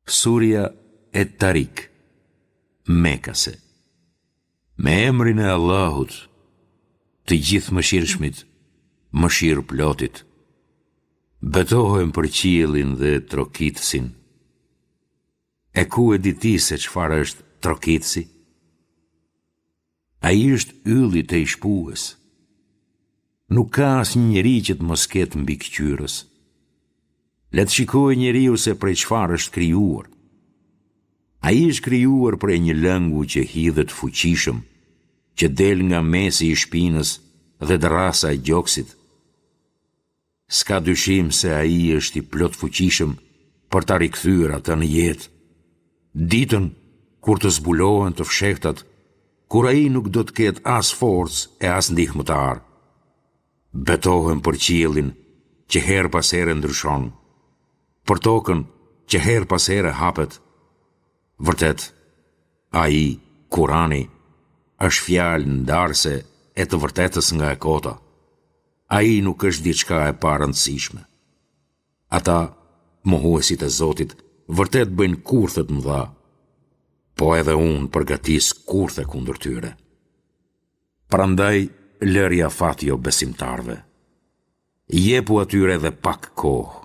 Surja Et-Tarik, Mekase. Me emrin e Allahut, të Gjithëmëshirshmit, Mëshirëplotit. Betohem për qiellin dhe trokitësin. E ku e di ti se çfarë është trokitësi? Ai është ylli tejshpues. Nuk ka asnjë njeri që të mos ketë mbikëqyrës. Le të shikojë njeriu se prej çfarë është krijuar. Ai është krijuar prej një lëngu që hidhet fuqishëm, që del nga mesi i shpinës dhe dërrasa e gjoksit. S'ka dyshim se Ai është i plotfuqishëm për ta rikthyer atë në jetë. Ditën kur të zbulohen të fshehtat, kur ai nuk do të ketë as forcë e as ndihmëtar. Betohem për qiellin që herë pas here ndryshon, për tokën që herë pas here hapet. Vërtet, ai, Kurani, është fjalë ndarëse e të vërtetës nga e kota. Ai nuk është diçka e parëndësishme. Ata, mohuesit e Zotit, vërtet bëjnë kurthe të mëdha, po edhe unë përgatis kurthe kundër tyre. Prandaj lërja fat jobesimtarëve. Jepu atyre edhe pak kohë.